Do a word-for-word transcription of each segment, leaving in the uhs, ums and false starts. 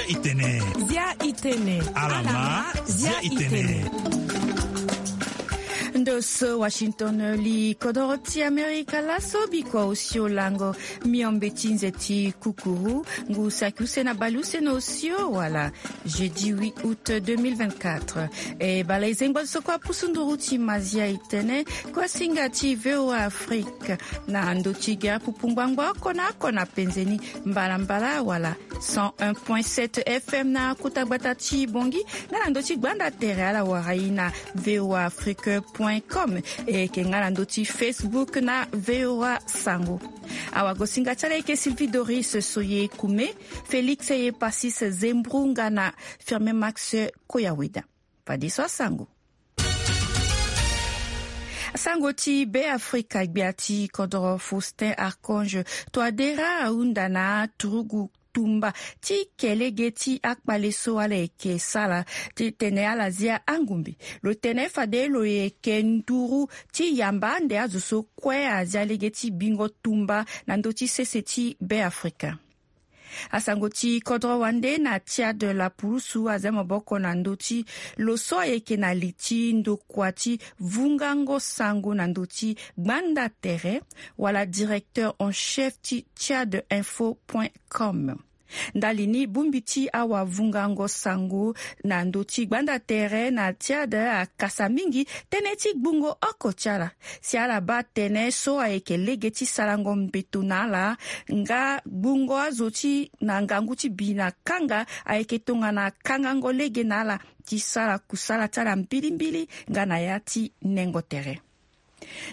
Itene. Zia itene. Alama. Zia itene. Ndo so Washington, li kodoro ti Amerika laso biko osio lango. Miombe ti nze ti kukuru ngu saki use na bale use na osio wala jeudi huit août deux mille vingt-quatre. E bala ezengba so kua pusu nduru ti mazia itene kua singa ti VOA Afrique na ndo ti gere pupu ngbangba oko na oko na penzeni mbalambala wala cent un point sept F M na kota gbata ti Bongi, nga na ndo ti gbanda tere ala wara i na voa afrique point com, e yeke nga na ndo ti Facebook na VOA Sango. Awagosinga ti ala yeke Sylvie Doris Soye Kume, Félix Eyepasis Zembru nga na Firmin Max Koyaweda. Fadeso asango. Sango ti Be Afrika, gbia ti kodoro Faustin Archange Touadéra ahunda na aturugu tumba ti ke lege ti akpale so ala yeke sara titene ala zia angumbe. Lo tene fade lo yeke nduru ti yamba ande azo so kue azia lege ti bingo tumba na ndö ti sese ti Be Afrika. Asango ti kodro wande na Tchad, lapulusu azia maboko na ndö ti lo so ayeke na li ti ndokua ti vungango sango na ndö ti gbanda tere wala directeur en chef ti tchad info point com. Ndali ni bongbi ti awavungango sango na ndö ti gbanda tere na Tchad akasa mingi tënë ti gbungo oko ti ala si ala baa tënë so ayeke lege ti sarango mbeto na ala nga gbungo azo ti na ngangu ti bi na kanga ayeke tongana kangango lege na ala ti sara kusala ti ala mbilimbili nga na ya ti nengo tere.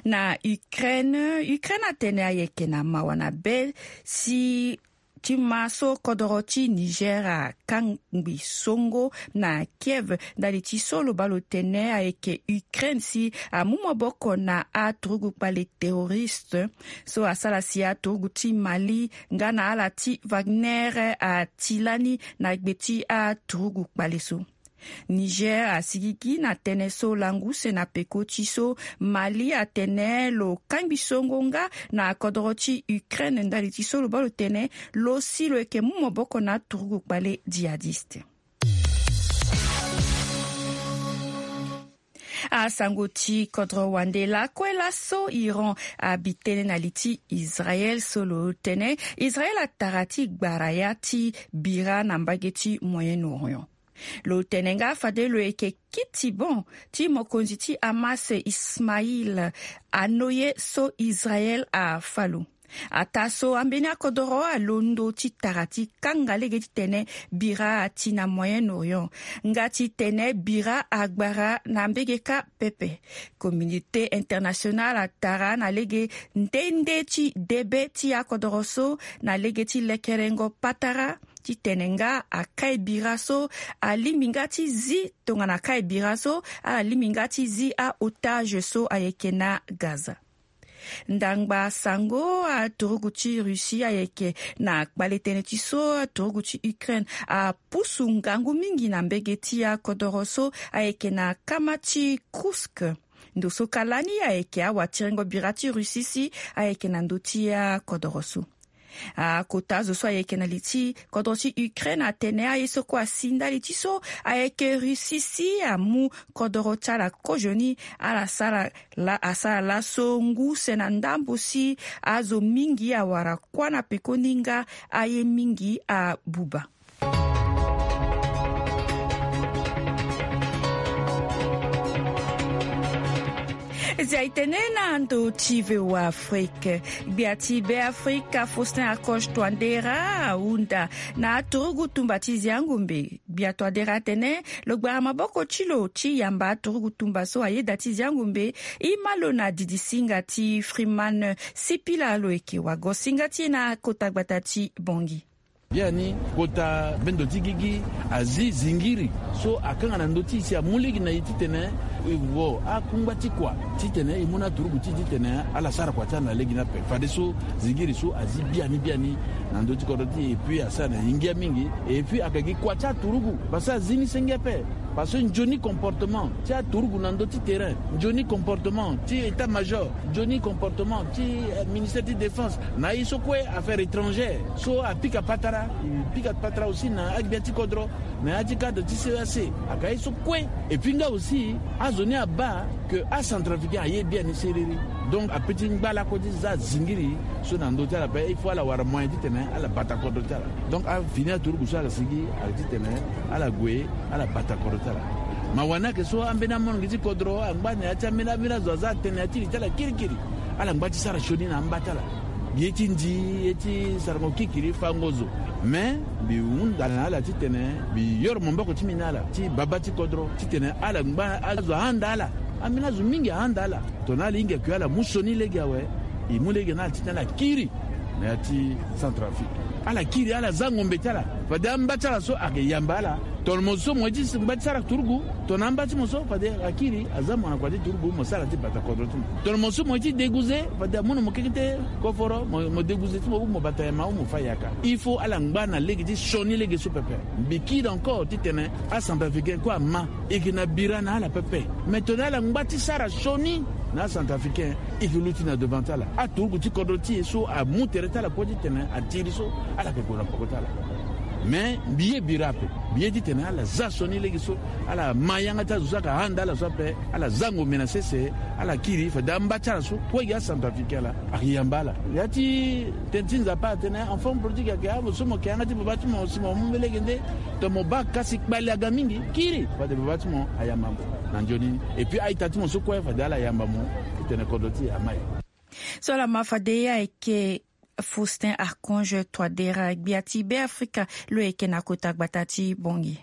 Na Ukraine, Ukraine atene ayeke na mawa na be si ti ma so kodoro ti Niger akangbi songo na Kiev ndali ti so lo baa lo tene ayeke Ukraine si amu maboko na aturugu kpale terroriste so asara si aturugu ti Mali nga na ala ti Wagner ati lani na gbe ti aturugu kpale so. Niger asigigi na tënë so langu use na peko ti so Mali atene lo kangbi songo nga na kodoro ti Ukraine ndali ti so lo baa lo tene lo si lo yeke mu maboko na aturugu kpale djihadiste. Asango ti kodro wande lakue laso Iran abi tënë na li ti Israel so lo tene Israel atara ti gbara ya ti bira na mbage ti Moyen-Orient. Lo tene nga fade lo yeke kiti bon ti mokonzi ti Hamas Ismail Haniyeh so Israel afa lo. Ataa so ambeni akodoro alondo ti tara ti kanga lege titene bira ati na Moyen-Orient nga titene bira agbara na mbege kâ pepe. Communauté internationale atara na lege nde nde ti debe ti akodoro so na lege ti lekerengo patara titene nga akai bira so alingbi nga ti zi tongana akai bira so ala lingbi nga ti zi aotage so ayeke na Gaza. Ndangba sango aturugu ti Russie ayeke na kpale tënë ti so aturugu ti Ukraine apusu ngangu mingi na mbege ti akodoro so ayeke na kama ti Kursk. Ndo so kâ lani ayeke awatirengo bira ti Russie si ayeke na ndö ti akodoro so. Akota azo so ayeke na li ti kodro ti Ukraine atene aye so kue asi ndali ti so ayeke Russie si amu kodoro ti ala kozoni ala sara la asara laso ngu use na ndambo si azo mingi awara kuâ na pekoni nga aye mingi abuba. Zia itene na ndo ti VOA Afrique. Gbia ti Be Afrika Faustin Archange Touadéra ahunda na aturugu tumba ti Ziangombe. Gbia Touadéra atene lo gbara maboko ti lo ti yamba aturugu tumba so ayeda ti Ziangombe. I ma lo na didi singa ti Freeman Sipila lo yeke wagosinga ti e na kota gbata ti Bongi. Biani kota bendo ti gigi azi zingiri so akanga na ndö ti e si amu lege na e titene E wo akungba ti kua titene e mu na aturugu ti e titene ala sara kua ti ala na lege ni ape. Fadeso zingiri so azi biani biani na ndö ti kodro ti e, epui asara na e ngia mingi. Epui ayeke gi kua ti aturugu parce que azi ni senge ape. Parce que nzoni comportement ti aturugu na ndö ti terrain, nzoni comportement ti état major, nzoni comportement ti eh, ministère ti défense, na aye so kue affaires étrangères so apika patara, e pika patara aussi na agbia ti kodro, na ya ti cadre ti C E A C. Aka ye so kue. Epui nga aussi azo ni abaa ke acentrafricain aye biani seriri. Donc ape ti ngba lakue ti za zingiri so na ndö ti ala ape, il faut ala wara moyen titene ala bata kodro ti ala. Donc afini aturugu so ala sigi ala titene ala gue ala bata kodro ti ala. Ma wani ayeke so ambeni amolenge ti kodro angba na ya ti ambeni ambeni azo aza atene na ya ti li ti ala kirikiri. Ala ngba ti sara sioni na amba ti ala. Ye ti ndi, ye ti sarango kikiri, fango zo. Me mbi hunda na ala titene mbi yoro maboko ti mbi na ala ti baba ti kodro titene ala ngba azo ahanda ala. Ambeni azo mingi ahanda ala. Tongana ala hinga ke ala mu sioni lege awe, e mu lege na ala titene ala kiri na ya ti Centrafrique. Ala kiri, ala za ngombe ti ala. Fade amba ti ala so ayeke yamba ala. Tongana mo so mo ye ti ngba ti sara turugu, tongana amba ti mo so fade akiri aza mo na kua ti turugu, mo sara ti bata kodro ti mo. Tongana mo so mo ye ti déguiser, fade amu na mo keke ti koforo, mo, mo déguiser ti mo ou mo bata yama ou mo fa yaka. Il faut ala ngba na lege ti sioni lege so pepe. Mbi kiri encore titene acentrafricain kue ama, e yeke na bira na ala pepe. Mais tongana ala ngba ti sara sioni na acentrafricain, e yeke luti na devant ti ala. Aturugu ti kodro ti e so amu tere ti ala kue titene atiri so, ala yeke gue na peko ti ala. Mais mbi ye bira ape. Mbi ye titene ala za sioni lege so, ala ma yanga ti azo so ayeke handa ala so ape, ala za ngombe na sese, ala kiri, fade amba ti ala so kue gi acentrafricain ala, ayeke yamba ala. Ya ti tene ti Nzapa atene enfant prodigue ayeke, amo so mo yeke yanga ti baba ti mo si mo mu mbeni lege nde, tongana mo baa kasi kpale aga mingi, kiri fade baba ti mo ayamba mo. Na nzoni ni. Epui a-ita ti mo so kue fade ala yamba mo titene kodro ti e amai. So ala ma fade ayeke Faustin Archange Touadéra, gbia ti Beafrika, lo yeke na kota gbata ti Bangui.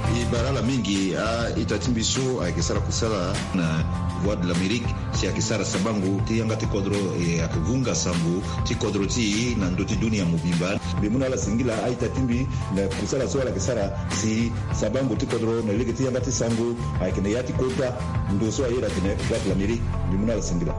E bara ala mingi a-ita ti mbi so ayeke sara kusala na Voix de l'Amérique, si ayeke sara sabango ti yanga ti kodro, e ayeke vunga sango ti kodro ti e na ndö ti dunia mobimba. Mbi mu na ala singila a-ita ti mbi na kusala so ala yeke sara si sabango ti kodro na lege ti yanga ti sango ayeke na ya ti kota ndo so ayeda atene Voix de l'Amérique. Mbi mu na ala singila.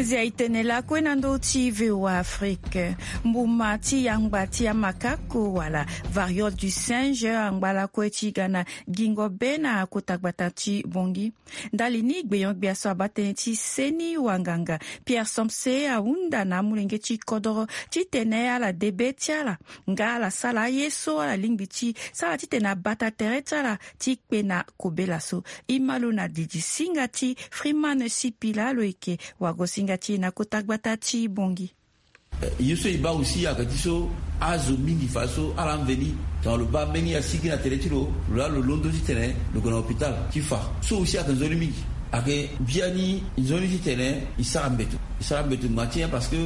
Zia e tene lakue na ndö ti V O A Afrique. Mbuma ti yangba ti amakako wala variole du singe angba lakue ti ga na gingo be na kota gbata ti Bangui. Ndali ni gbenyo-gbia so abaa tënë ti seni wanganga Pierre Somse ahunda na amolenge ti kodoro titene ala de be ti ala nga ala sara aye so ala lingbi ti sara titene abata tere ti ala ti kpe na kobela so. E ma lo na didi singa ti Freeman Sipila, lo yeke wago-singa ti e na kota gbata ti Bangui. Eh, ye so e baa aussi ayeke ti so azo mingi fa so ala mveni, tongana lo baa mbeni asigi na tere ti lo, lo laa lo londo titene lo gue na hôpital ti fa. So aussi ayeke nzoni mingi. Ayeke biani nzoni titene e sara mbeto. E sara mbeto ngba ti nyen? Parce que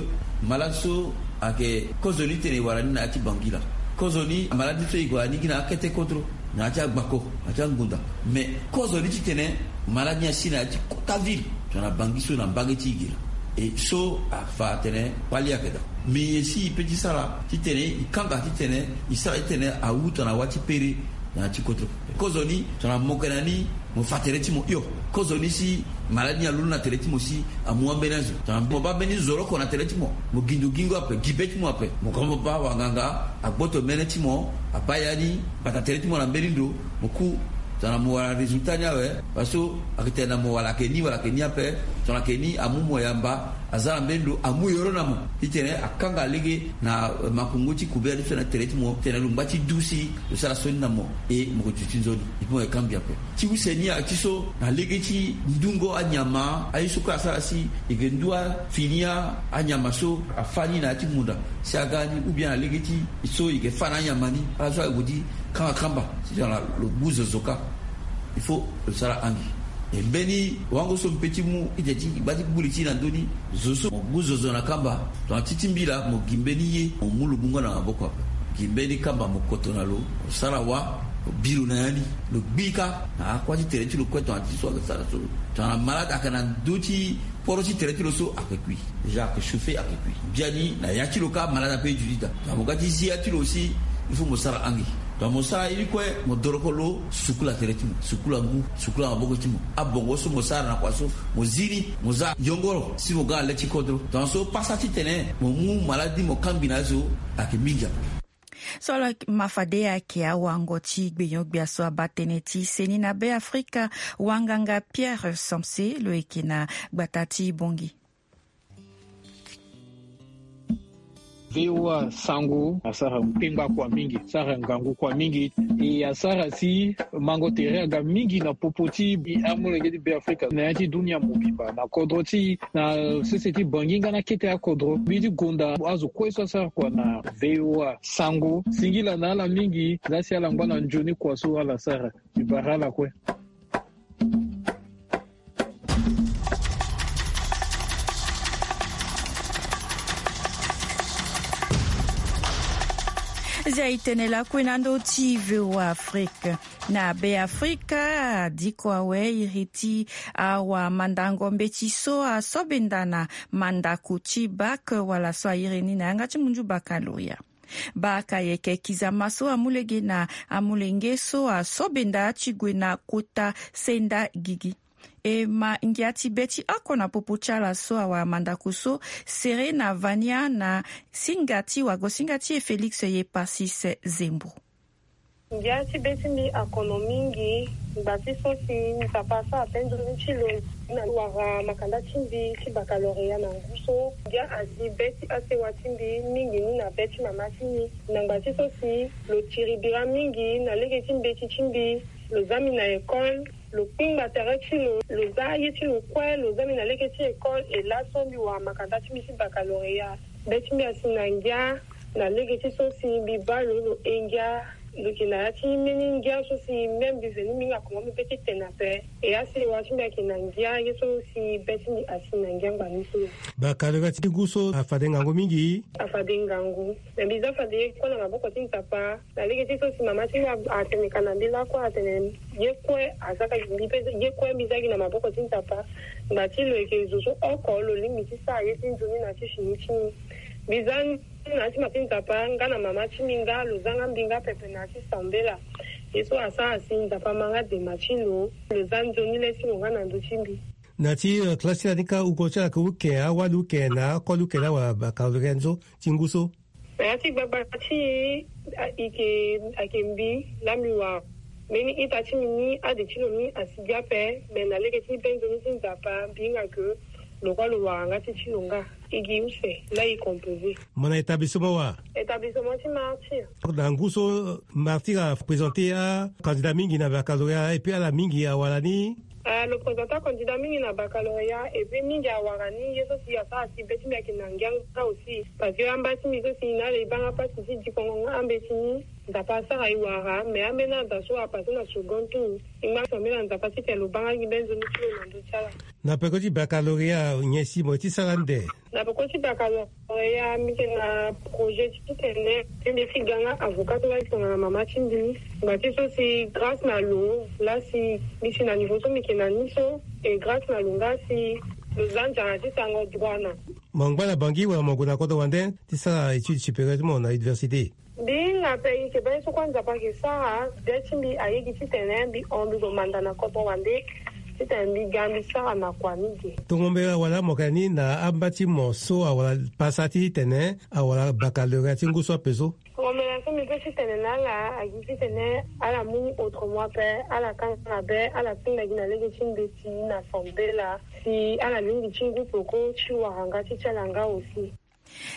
malade so ayeke kozoni titene e wara ni na ya ti Bangui laa. Kozoni malade so e gue na ni gi na akete kodro, na ya ti agbako, na ya ti angbonda. Mais kozoni titene malade ni asi na ya ti kota ville, tongana Bangui so na mbage ti e gi laa. E so afa atene kpali ayeke daa. Mais e si e pe ti sara titene e kanga titene e sara titene awu tongana wâ ti pere na ya ti kodro. Kozoni tongana mo yeke na ni, mo fa tere ti mo hio. Kozoni si malade ni alondo na tere ti mo si amu ambeni azo. Tongana mo baa mbeni zoroko na tere ti mo, mo gi ndo gingo ape, gi be ti mo ape. Mo ka mo baa wanganga agboto mene ti mo, abaa ya ni, bata tere ti mo na mbeni ndo, mo ku. Tongana mo wara résultat ni awe, parce que ayeke tene na mo wala ayeke ni, wala ayeke ni ape. Tongana ayeke ni, amu mo yamba, aza na mbeni ndo, amu yoro na mo titene akanga lege na, eh, makongo ti kubela ti so na tere ti mo, titene lo ngba ti du si lo sara sioni na mo, e mo yeke duti nzoni. E pe mo yeke kangbi ape. Ti use ni ayeke ti so na lege ti ndungo anyama, aye so kue asara si e yeke ndu afini anyama so afâ ni na ya ti munda si aga ni, ou bien na lege ti so e yeke fâ na anyama ni, ala so ayeke gue ti kanga kamba si tongana lo gbu zozo kâ. Il faut lo sara angi. E mbeni wango so mpe ti mu ite ti gba ti gbu li ti e na ndö ni. Zo so mo gbu zozo na kamba, tongana ti ti mbi laa mo gi mbeni ye, mo mu lo bungo na maboko ape. Gi mbeni kamba mo koto na lo, mo sara wâ. Bi lo na ya ni, lo gbi kâ na akua ti tere ti lo kue. Tongana ti so ayeke sara so, tongana malade ayeke na ndö ti poro ti tere ti lo so, ayeke kui. Déjà ayeke chauffer, ayeke kui. Biani na ya ti lo kâ malade ape e duti daa. Tongana mo ga ti zi ya ti lo aussi, il faut mo sara angi. Tongana mo sara ye ni kue, mo doroko lo, sukula tere ti mo, sukula ngu, sukula maboko ti mo. Abongo so mo sara na kua so, mo zi ni, mo za yongoro si mo ga na le ti kodro. Tongana so pasa titene mo mu malade ni mo kangbi na ye so, ayeke mingi ape. So ala ma fade ayeke awango ti gbenyo-gbia so abaa tënë ti seni na Be Afrika, wanganga Pierre Samse lo yeke na gbata ti Bangui. V O A Sango asara kpengba kua mingi, asara ngangu kua mingi, e asara si mango tere aga mingi na popo ti amolenge ti Be Afrika na ya ti dunia mobimba, na kodro ti, na sese ti Bangui nga na kete akodro. Mbi ti gonda azo kue so asara kua na V O A Sango. Singila na ala mingi, za si ala ngba na nzoni kua so ala sara. Mbi bara ala kue. Zia e tene lakue na ndö ti V O A Afrique. Na Be Afrika, adiko awe iri ti awamandango mbeti so asobenda na mandako ti bac wala so airi ni na yanga ti munzu baccalauréat. Bac ayeke kizama so amu lege na amolenge so asobenda ti gue na kota senda gigi. E ma ngia ti be ti oko na popo ti ala so awara mandako so sere na vania na singa ti wago singa ti e Félix Yeparsis Zembo. Ngia ti be ti mbi akono mingi. Ngba ti so si Nzapa asara pe nzoni ti lo na wara makanda ti mbi ti baccalauréat na ngu so. Ngia asi be ti asewa ti mbi mingi ni na be ti mama ti mbi. Na ngba ti so si lo tiri bira mingi na lege ti mbeti ti mbi, lo za mbi na école, lo kpingba tere ti lo, lo za aye ti lo kue, lo za mbi na lege ti école. E laso mbi wara makanda ti mbi ti baccalauréat. Be ti mbi asi na ngia na lege ti so si mbi baa lo, lo he ngia. Lo yeke na ya ti mbeni ngia so si même mbi veni mbi hinga koma mbi pe ti tene ape. E asewa ti mbi ayeke na ngia ye so si be ti mbi asi na ngia ngba ni so. Baccalauréat ti ngu so afade ngangu mingi. Afade ngangu. Me mbi za fade ye kue na maboko ti Nzapa. Na lege ti so si mama ti mbi atene ka na mbi lakue atene ye kue asaka mbi pe ye kue mbi za gi na maboko ti Nzapa. Ngba ti lo yeke zo so oko lo lingbi ti sara ye ti nzoni na ti fini ti mbi. Mbi za na ya ti ma ti Nzapa nga na mama ti mbi nga lo za nga mbi nga pepe na ya ti sambela. Ye so asara si Nzapa ma nga dema ti lo, lo za nzoni le ti lo nga na ndö ti mbi. Na ti, eh, classe ti la ni kâ, uko ti ala yeke uke, awali uke na akoli uke laa wala baccalauréat so ti ngu so? Na ya ti gbagba ti e, a, e yeke, ayeke mbi laa mbi wara. Mbeni ita ti mbi ni, ade ti lo ni asi gi ape. Me na lege ti be nzoni ti Nzapa mbi hinga ke lo kue lo wara nga ti ti lo nga. E gi use laa e composé. Mo na établissement wa? Établissement ti Martyr. Na ngu so Martyr aprésenté acandidat mingi na baccalauréat, et puis ala mingi awara ni. Ah, lo présenta candidat mingi na baccalauréat, et puis mingi awara ni. Ye so si asara si be ti mbi ayeke na ngia nga aussi, parce que amba ti mbi so si na ala e baa nga pasi ti dikongo nga ambeti ni. Nzapa asara e wara, mais ambeni ada so apassé na second tour. E ngba sambela Nzapa titene lo baa nga gi be nzoni ti lo na ndö ti ala. Na peko ti baccalauréat nyen si mo ye ti sara ande? Na peko ti baccalauréat, mbi yeke na projet ti tene ti mbi ti ga nga avocat so laa ti tongana mama ti mbi. Ngba ti so si grâce na lo laa si mbi si na niveau so mbi yeke na ni so, et grâce na lo nga si lo za nzara ti sarango droit na. Mo ngba na Bangui wala mo gue na kodro wande ti sara étude supérieure ti mo na université? Mbi hinga ape, e yeke baa ye so kue Nzapa ayeke sara. Be ti mbi aye gi titene mbi hon mbi gue manda na kodro wande titene mbi ga mbi sara na kua ni ge. Tongo mbela wala mo yeke na ni na amba ti mo so awara pasa titene awara baccalauréat ti ngu so ape so? Tongo mbela so mbi pe titene na ala agi titene ala mu ni autrement ape, ala kanga na be, ala tinda gi na lege ti mbeti na sambela si ala lingbi ti ngu peko ti wara nga ti ti ala nga aussi.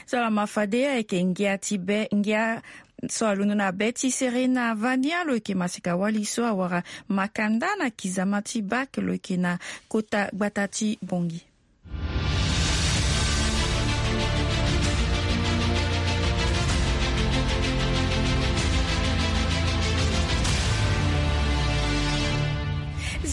So ala ma fade ayeke ngia ti be, ngia so alondo na be ti sere na vania lo yeke masika wali so awara makanda na kizama ti bac lo yeke na kota gbata ti Bangui.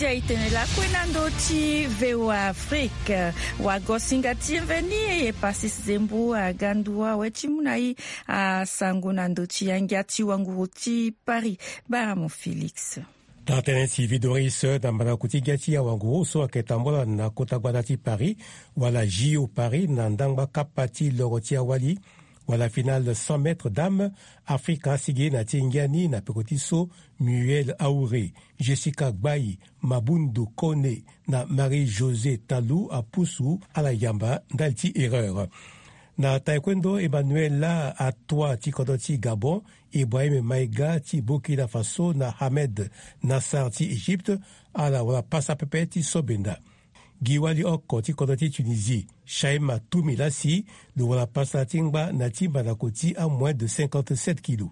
E tene lakue na ndö ti VOA Afrique. Wagosinga ti mveni e ye pasis zembo aga ndua we ti mu na i asango na ndö ti angia ti wanguru ti Paris. Baramo Félix. Tara tënë ti Vidoris na mbandako ti ngia ti awanguru so ayeke tambula na kota gbata ti Paris, wala J O Paris, na ndangba kapa ti loro ti awali, wala finale cent mètres dames, Afrika asigi na ti ngia ni na peko ti so Muriel Aure, Jessica Gbayi, Mabundu Kone na Marie-Josée Talou apusu ala yamba ndali ti erreur. Na taekwondo, Emmanuela Atoa ti kodro ti Gabon, Ibrahim Maïga ti Burkina Faso na Ahmed Nassar ti Egypte, ala wara pasa pepe ti so benda. Gi wali oko ti kodro ti Tunisie, Shaima Toumi Lassi, lo wara pasa ti ngba na ti mbandako ti amoin de cinquante-sept kilo.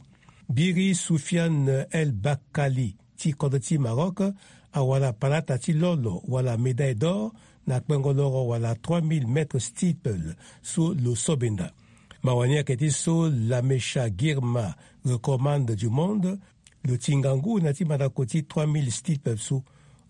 Biri Soufiane El Bakali ti kodro ti Maroc awara palata ti lolo wala médaille d'or na kpengo loro wala trois mille mètres steeple so lo so benda. Mawa ni ayeke ti so Lamesha Girma recommande du monde, lo ti ngangu na ti mandako ti trois mille steeple so.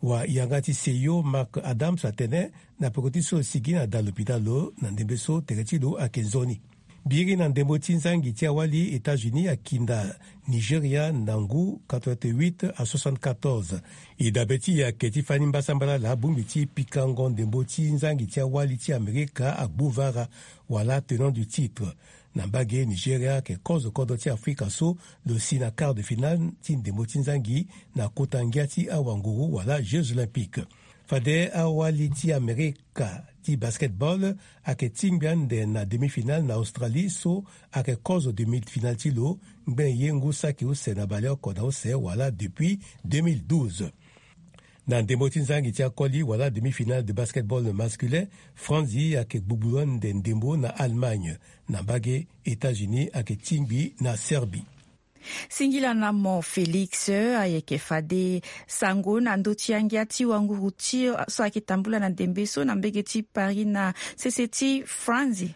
Wa yanga ti seyo Mark Adams atene na peko ti so lo sigi na da lopitalo na ndembe so tere ti lo ayeke nzoni. Biri na ndembo ti nzangi ti awali, États-Unis akinda Nigeria na ngu quatre-vingt-huit à soixante-quatorze. E dabe ti e ayeke ti fani mbasambala laa bongbi ti pikango ndembo ti nzangi ti awali ti Amerika agbu vara wala tenant du titre. Na mbage, Nigeria ayeke kozo kodro ti Afrika so lo si na quart de finale ti ndembo ti nzangi na kota ngia ti awanguru wala Jeux Olympiques. Fade awali ti Amerika ti basketball ayeke tingbi ande na demi-finale na Australie so ayeke kozo demi-finale ti lo ngbene ye ngu saki use na baleoko na use wala depuis deux mille douze. Na ndembo ti nzangi ti akoli wala demi-finale de basketball masculin, Franzi ayeke gbugbu ande ndembo na Allemagne. Na mbage, États-Unis ayeke tingbi na Serbie. Singila na mo Félix, ayeke fade sango na ndö ti angia ti wanguru ti so ayeke tambula na ndembe so na mbege ti Paris na sese ti Franzi.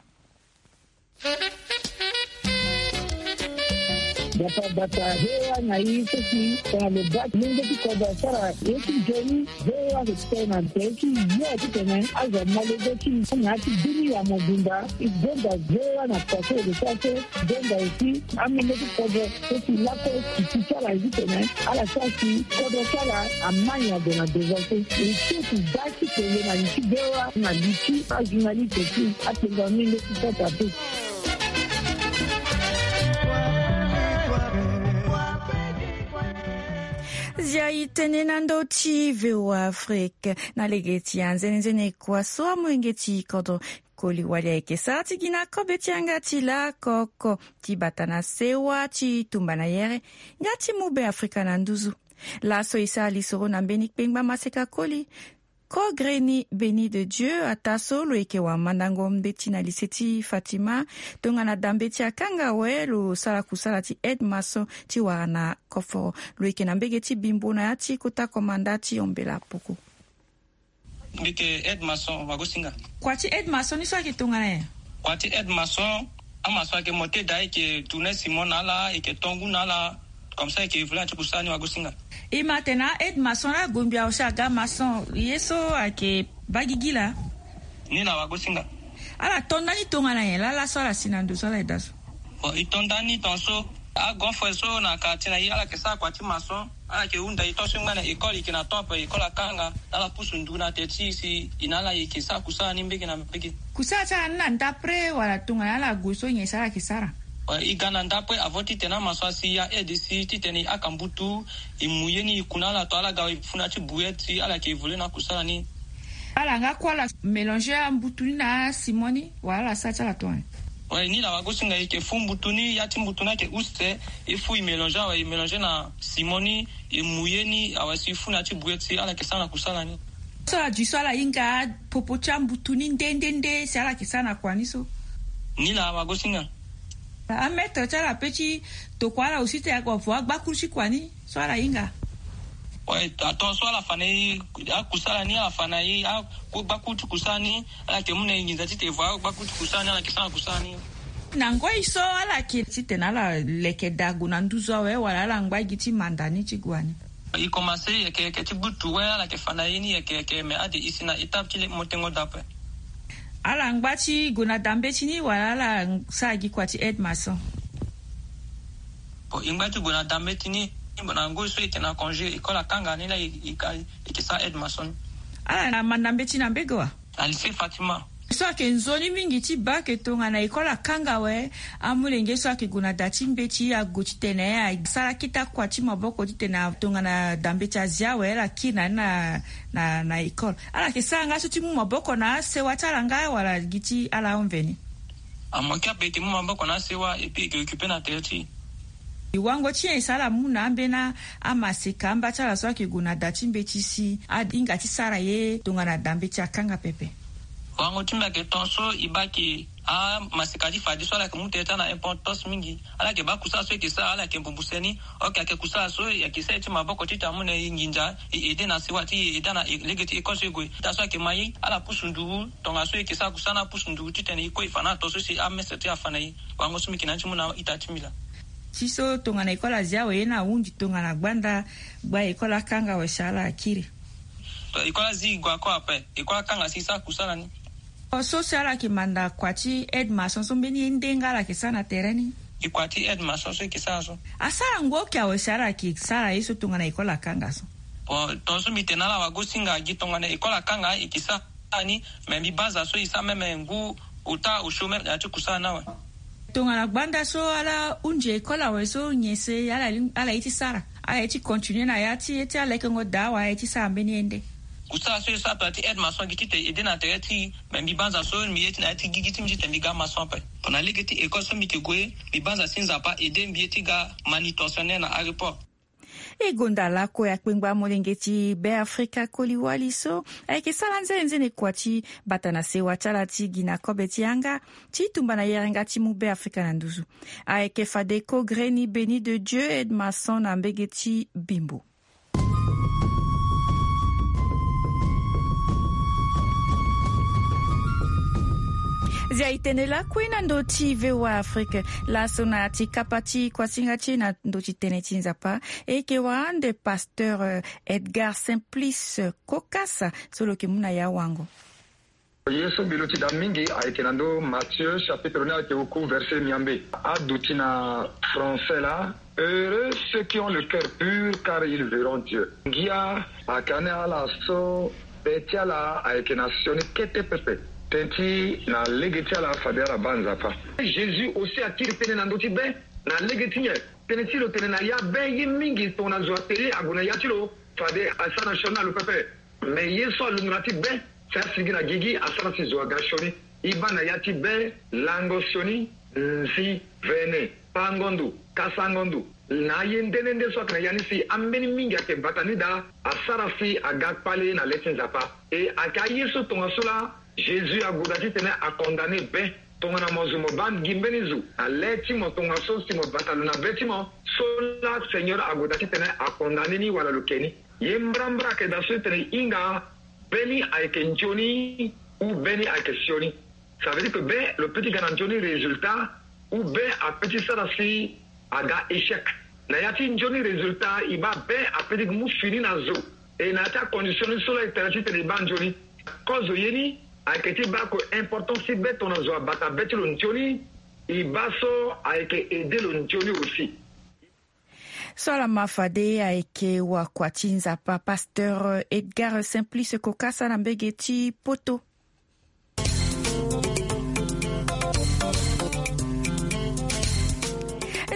Bata bata, he wa na i seki tongana lo baa ti lenge ti kodro asara ye ti nzoni. Ve wa ke tene na tere ti yo titene azo amolenge ti na ya ti bini ya mobimba. E gonda ve wa na kua so e lo sara so. Gonda aussi amolenge ti kodro so si lakue si ti ti ala ye titene ala sara si kodro ti ala amai ade na devant so. E so si baa ti tene na li ti ve wa na li ti ajournaliste ti atengo amolenge ti kota pe. Zia e tene na ndö ti VOA Afrique. Na lege ti anzenenzene kua so amolenge ti kodro koli wali ayeke sara ti gi na kobe ti yanga ti lakoko ti bata na sewa ti tumba na yere nga ti mu be Afrika na nduzu. Laso e sara lisoro na mbeni kpengba maseka koli. Kogreni Béni de Dieu ataa so lo yeke wamandango mbeti na lycée ti Fatima, tongana dambe ti akanga awe lo sara kusala ti aide maçon ti wara na koforo. Lo yeke na mbege ti Bimbo na ya ti kota komanda ti Ombela Poko. Mbi yeke aide maçon, Wagosinga. Kua ti aide maçon ni so ayeke tongana nyen? Kua ti aide maçon, amaçon ayeke monte daa, e yeke tourner ciment na ala, e yeke to ngu na ala. Comme ça e yeke évoluer na ti kusala ni, Wagosinga. E ma atene a-aide maçon laa agombi awe si aga maçon ye so ayeke baa gigi laa. Ni laa, Wagosinga. Ala to ndani tongana nyen laa laso ala si na ndo so ala yeda so? Bon, e to ndani tongaso. Agon frère so na quartier na e ala yeke sara kua ti maçon. Ala yeke hunda e to so e ngba na école, e yeke na top école akanga. Ala pusu ndu na teti si e na ala e yeke sara kusala ni mbege na mbege. Kusala ti ala ni na ndapre wala tongana ala gue so nyen si ala yeke sara? E ga na ndapre avant titene amaçon asi ya aide si titene e haka mbutu, e mu ye ni e ku na ala to ala ga e funda ti brouette si ala yeke évoluer na kusala ni. Ala nga kue ala mélanger ambutu ni na ciment ni wala ala sara ti ala tongana nyen? Ouais, ni laa, Wagosinga, e yeke fu mbutu ni, ya ti mbutu ni ayeke use, e fu e mélanger awe, e mélanger na ciment ni, e mu ye ni awe si e fu na ya ti brouette si ala yeke sara na kusala ni. So ala dui so ala hinga popo ti ambutu ni nde nde nde si ala yeke sara na kua ni so? Ni laa, Wagosinga. Amaître ti ala pe ti tokua ala aussi titene aga vo agbakuru ti kua ni so ala hinga? Ouais, atongaso ala fa na e akusala ni, ala fa na e agbakuru ti kusala ni, ala yeke mu na e nginza titene e vo agbakuru ti kusala ni, ala yeke sara na kusala ni. Na ngoi so ala yeke titene ala leke daa gue na nduzu awe wala ala ngba gi ti manda ni ti gue wani? E komanse yeke yeke ti gbutu we ala yeke fa na ye ni yeke yeke me ade e si na étape ti le motengo da ape. Ala ngba ti gue na da mbeti ni wala ala sara gi kua ti aide maçon? Bon, e ngba ti gue na da mbeti ni. Bon, na ngoi so e yeke na congé école akanga ni la e, e, e yeke sara aide maçon ni. Ala na manda mbeti na mbege wa? Na lycée Fatima. So ayeke nzoni mingi ti baa ke tongana école akanga awe, amolenge so ayeke gue na da ti mbeti ague titene asara kita kua ti maboko titene tongana da mbeti azia awe ala kiri na ni na, na, na école. Ala yeke sara nga so ti mu maboko na asewa ti ala nga wala gi ti ala ahon mveni? Amoke ape e yeke mu maboko na asewa et puis e yeke occupe na tere ti e. Wango ti nyen e sara ala mu na ambeni amaseka amba ti ala so ayeke gue na da ti mbeti si ahinga ti sara ye tongana da mbeti akanga pepe? Wango ti mbi ayeke tongaso e baa ke amaseka ti fadeso ala yeke mu tere ti ala na importance mingi. Ala yeke baa kusala so e yeke sara ala yeke mbumbu seni. Ok, ayeke kusala so e yeke sara ye ti maboko titene amu na e nginza, e aide na sewa ti e, e aide na e, lege ti école so e gue. Ita so ayeke ma ye ala pusu nduru. Tongaso e yeke sara kusala ni apusu nduru titene e kue e fa na ala to so si amestre ti e afa na e. Wango so mbi yeke na ni ti mu na ita ti mbi laa. Ti so tongana école azi awe ye ni ahunzi tongana gbanda gba école akanga awe si ala akiri. To école azi e gue ako ape, école akanga si e sara kusala ni. So si ala yeke manda kua ti aide maçon so mbeni ye nde nga ala yeke sara na tere ni? E kua ti aide maçon so e yeke sara so. Asara ngu oke awe si ala yeke sara ye so tongana école akanga so? Bon, tongaso mbi tene na ala wagosinga gi tongana école akanga e yeke sara ni, me mbi banza so e sara même ngu ota osio même na ya ti kusala ni awe. Tongana gbanda so ala hunzi école awe so nyen si ala, ala ye ti sara? Ala ye ti continuer na ya ti, ye ti ala lekengo daa wala ala ye ti sara mbeni ye nde? Kusala so e sara tongana ti aide maçon gi titene e aide na tere ti e, me mbi banza so mbi ye ti na ya ti gigi ti mbi titene mbi ga maçon ape. Tongana lege ti école so mbi yeke gue, mbi banza si Nzapa aide mbi ye ti ga manutentionnaire na aéroport. E gonda lakue akpengba molenge ti Beafrika koli wali so ayeke sara nzene nzene kua ti bata na sewa ti ala ti gi na kobe ti yanga ti tumba na yerenga ti mu Beafrika na nduzu. Ayeke fade ko greni Béni de Dieu aide maçon na mbege ti Bimbo. Zia e tene lakue na ndö ti V O A Afrique. Laso na ya ti kapa ti kuasinga ti e na ndö ti tënë ti Nzapa, e yeke wara ande pasteur, euh, Edgar Simplice Kokasa so lo yeke mu na ya wango. Ye so mbi luti daa mingi ayeke na ndö Matthieu chapitre ni ayeke oku verset miambe. Aduti na français laa: Heureux ceux qui ont le cœur pur, car ils verront Dieu. Ngia ayeke ane ala so be ti ala ayeke na sioni kete pepe. Tënë ti na lege ti ala fade ala baa Nzapa. Jésus aussi akiri tënë na ndö ti be na lege ti nyen? Tënë ti lo tene na ya be ye mingi tongana zo atene ague na ya ti lo fade asara na sioni na lo pepe. Me ye so alunga na ya ti be si asigi na gigi asara si zo aga sioni. E baa na ya ti be lango sioni, nzi, vene, pango ndo, kasango ndo. Na aye nde nde nde so ayeke na ya ni si ambeni mingi ayeke bata ni daa asara si aga kpale na le ti Nzapa. E ayeke aye so tongaso laa Jésus ague daa titene acondamne be. Tongana mo zo mo baa gi mbeni zo na le ti mo tongaso si mo bata lo na be ti mo, so laa Seigneur ague daa titene acondamne ni wala lo ke ni. Ye mbrambra ayeke daa so e tene e hinga be ni ayeke nzoni ou be ni ayeke sioni. Ça veut dire que be lo peut ti ga na nzoni résultat ou be apeut ti sara si aga échec. Na ya ti nzoni résultat e baa be apeut ti mu fini na zo. E na ya ti acondition ni so laa e tene titene e baa nzoni. Kozo ye ni ayeke ti baa ko importance ti be tongana zo abata be ti lo nzoni. E baa so ayeke aide lo nzoni aussi. So ala ma fade ayeke wakua ti Nzapa, pasteur Edgar Simplice Kokasa na mbege ti Poto.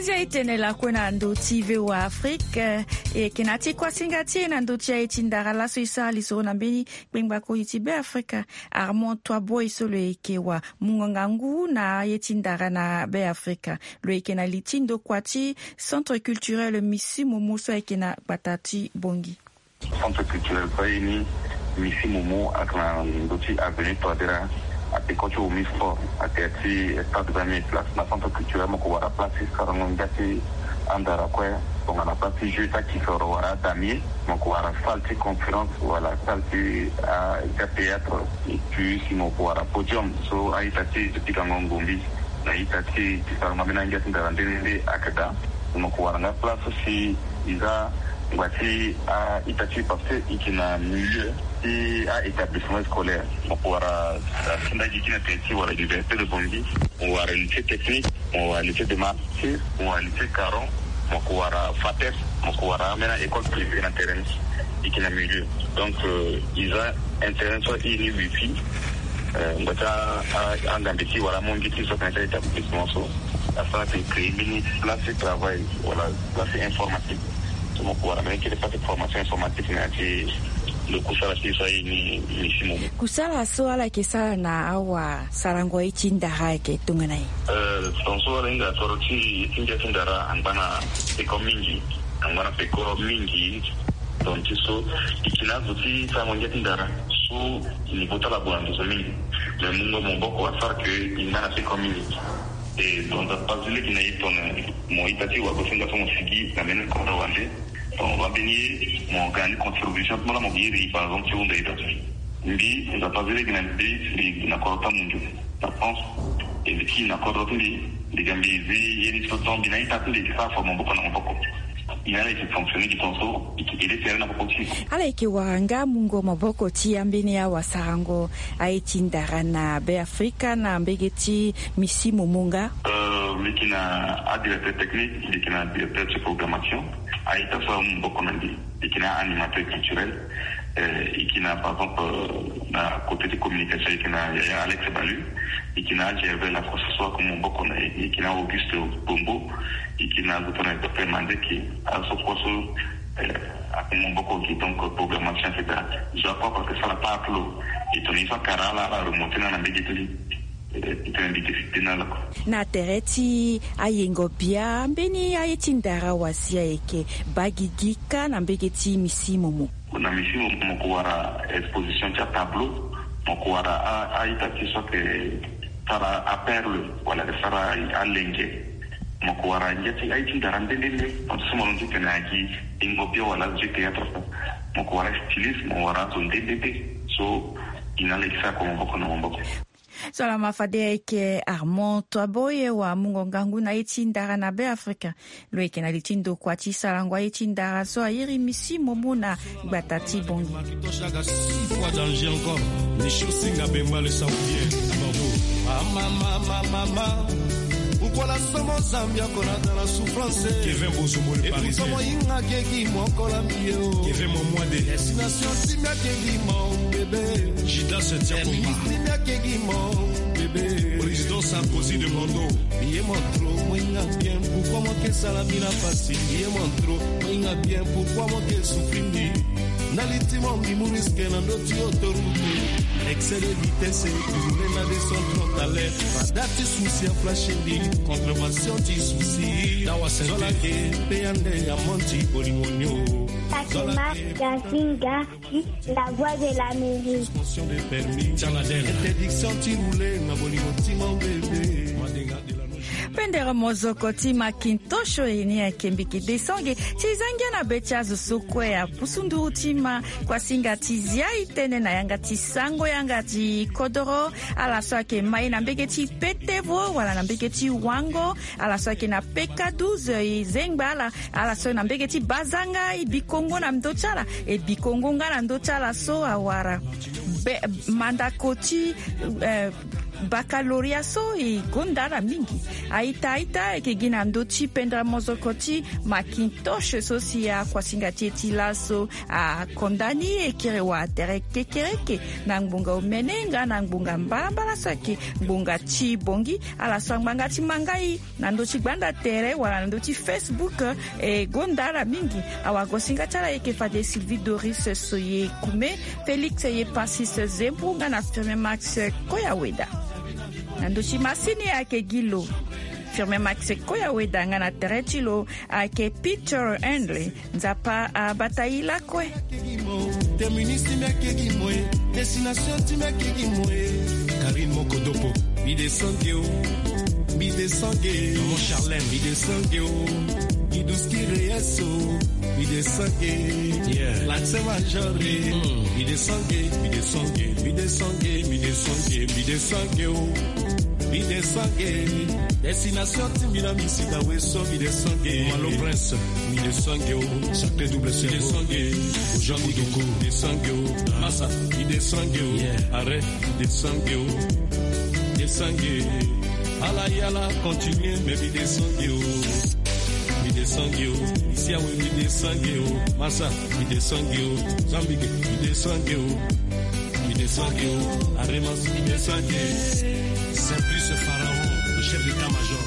Zia e tene lakue na ndö ti V O A Afrique. E yeke na ya ti kuasinga ti e na ndö ti aye ti ndara laso e sara lisoro na mbeni kpengba koli ti Beafrika. Armand Toiboi so lo yeke wa munganga ngu na aye ti ndara na Beafrika. Lo yeke na li ti ndokua ti Centre Culturel Misi Momo so ayeke na gbata ti Bongi. Centre culturel so aye ni Misi Momo ayeke na ndö ti avenue Touadéra, apeko ti Omi Sport, ayeke ti stade vingt mille places. Na centre culturel mo ko wara place ti sarango ngia ti andara kue. Tongana place ti jeu ti akisoro wala adamier, mo ko wara salle ti conférence wala salle ti, ah, théâtre. Et puis si mo ko wara podium so a-ita ti e ti pikango ngombi na ita ti e ti sarango ambeni angia ti ndara nde nde nde ayeke daa. Mo ko wara nga place so si e za Ngba ti a-ita ti e parce que e yeke na milieu ti a-établissement scolaire. Mo ko wara asinda gi gi na tere ti wala université de Bangui, mo wara lycée technique, mo wara lycée de martyrs, mo wara lycée Caron, mo ko wara fates, mo ko wara ambeni école privée na tere ni. E yeke na milieu. Donc, euh, e za internet so aye ni wifi. Euh, ngba ti a-, a-, angambe ti wala amonge ti so tena ti a-établissement so asara ti créer mbeni place ti travail wala place informatique. So mo ko wara mbeni kete place ti formation informatique na ya ti lo kusala ti so aye ni, ni si mo. Kusala so ala yeke sara na awasarango aye ti ndara ayeke tongana nyen? Euh, tongaso ala hinga soro ti ye ti ngia ti ndara angba na peko mingi. Angba na peko mingi. Donc ti so e yeke na azo ti sarango ngia ti ndara so niveau ti ala ague na ndo so mingi. Mais mungo maboko asara ke e ngba na peko mingi. E donc Nzapa azi lege na e tongana mo ita ti wagosinga so mo sigi na mbeni kodro wande. Donc mbeni ye mo ga ni contribution ti mo laa mo iri par exemple ti hunda ita. Mbi Nzapa azi lege na mbi, mbi na kodro ti amundu na France. E mbi kiri na kodro ti mbi, mbi ga mbi zi ye ni so donc mbi na ita ti mbi e sara fo maboko na maboko. E na ala e yeke fonctionner gi tongaso e yeke aide tere na popo ti e. Ala yeke wara nga mungo maboko ti ambeni awasarango aye ti ndara na Be Afrika na mbege ti misi momo nga? Euh, mbi yeke na adirecteur technique, mbi yeke na directeur ti programmation. A-ita so amu maboko na mbi, e yeke na animateur culturel. Euh, e yeke na, par exemple, euh, na côté ti communication, e yeke na yaya Alex Balu. E yeke na Gervais Lacoste so aku maboko na e. E yeke na Auguste Bombo. E yeke na azo tongana docteur Manzeke. Azo so kue so, euh, aku maboko gi donc programmation, et cetera. Zo akue parce que sara part ti lo. E tongana ye so akara ala, ala remonter na ala na mbege ti mbi. Na tere ti ayengo bia mbeni aye ti ndara wazia ayeke baa gigi kâ na mbege ti misi momo. Na misi momo mo ko wara exposition ti atableau, mo ko wara a-ita ti so ayeke sara aperle wala ayeke sara alenge. Mo ko wara ngia ti aye ti ndara nde nde nde. Mo so mo londo ti tene na gi yengo bia wala azo ti théâtre so. Mo ko wara styliste, mo wara azo nde nde nde. So e na ala e yeke sara kua maboko na maboko. So laa ma fade ayeke Armand Toiboye wa mungo ngangu na ye ti ndara na Be Afrika. Lo yeke na li ti ndokua ti sarango aye ti ndara so airi misi momo na gbata ti Bangui. Six fois danger encore. Michou Singa Bemba le Saoudien. Mama, mama, mama. Pourquoi la somo Zambia kona dans la souffrance? Kevin Bozomo le Parisien. Moyinga kegi mokola mio. Kevin Momwade. Destination ti mia kegi mon bébé. Jidas Diakoma. Ti mia kegi mon bébé. Président Sarkozy de Mondo. Ye mon trop moyinga bien, pourquoi mo ke sala mbi na pasi? Ye mon trop moyinga bien, pourquoi mo ke souffrir mbi? Na li ti mo mbi mu risque na ndö ti autoroute. Excès de vitesse, tu roules na descente frontale. Fada ti souci a flash mbi. Contravention ti souci. Zola ke pe ande ya monti bolingo nio. Fatima Gazinga, la voix de l'Amérique. Interdiction ti rouler na bolingo ti mon bébé. Pendere mozoko ti Macintosh e ni ayeke mbiki desange ti za ngia na be ti azo so kue apusu nduru ti ma kuasinga ti zia e tene na yanga ti sango yanga ti kodoro. Ala so ayeke ma e na mbege ti petevo wala na mbege ti wango. Ala so ayeke na peka douze e zengba ala. Ala so na mbege ti bazanga e bikongo na ndö ti ala, e bikongo nga na ndö ti ala so awara be, mandako ti, eh, baccalauréat so e gonda ala mingi. A-ita a-ita ayeke gi na ndö ti pendere mozoko ti Macintosh so si akuasinga ti e ti laso akonda ni e kiri wa tere kekereke na ngbonga omene nga na ngbonga mbalambala so ayeke ngbonga ti Bangui. Ala so angbanga ti mangai na ndö ti gbanda tere wala na ndö ti Facebook, e gonda ala mingi. Awagosinga ti ala ayeke fade Sylvie Doris Soye Kume, Félix Yepasis Zembu nga na Firmin Max Koyaweda. Na ndö ti masini ayeke gi lo Firmin Max Koyaweda nga na tere ti lo ayeke Peter Henley. Nzapa abata e lakue. Terminus ti mbi ayeke gi mo e. Destination ti mbi ayeke gi mo e. Karine Mokodopo. Mbi descend ge o. Mbi descend ge. Maman Charlène. Mbi descend ge o. Mbi douze ki reyes o. Mbi descend ge. Yeah. L'accent major e. Mm. Mbi descend ge. Mbi descend ge. Mbi descend ge. Mbi descend ge. Mbi descend ge o. Mi descend ge. Destination Timbila Misida Weso, mi descend ge. Malo Prince, mi descend ge o. Sacré double cerveau. Mi descend ge. Jean Bidoko, mi descend ge o. Massa, mi descend ge o. Yeah. Arrêt, mi descend ge o. Descend ge. Ala yala, continue, mais mi descend ge o. Mi descend ge o. Ici, ah oui, mi descend ge o. Massa, mi descend ge o. Zambike, mi descend ge o. Mi descend ge o. Aremas, mi descend ge. Simplice Pharaon, le chef d'état-major.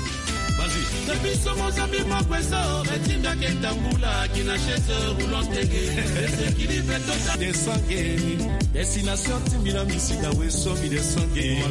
Vas-y. Depuis son mot, ça me manque ça. Retinda Kentambula, qui n'a chez eux, roulant tege. Esekili beto. Descend ge. Destination Timbila Misida Weso, mi descend ge.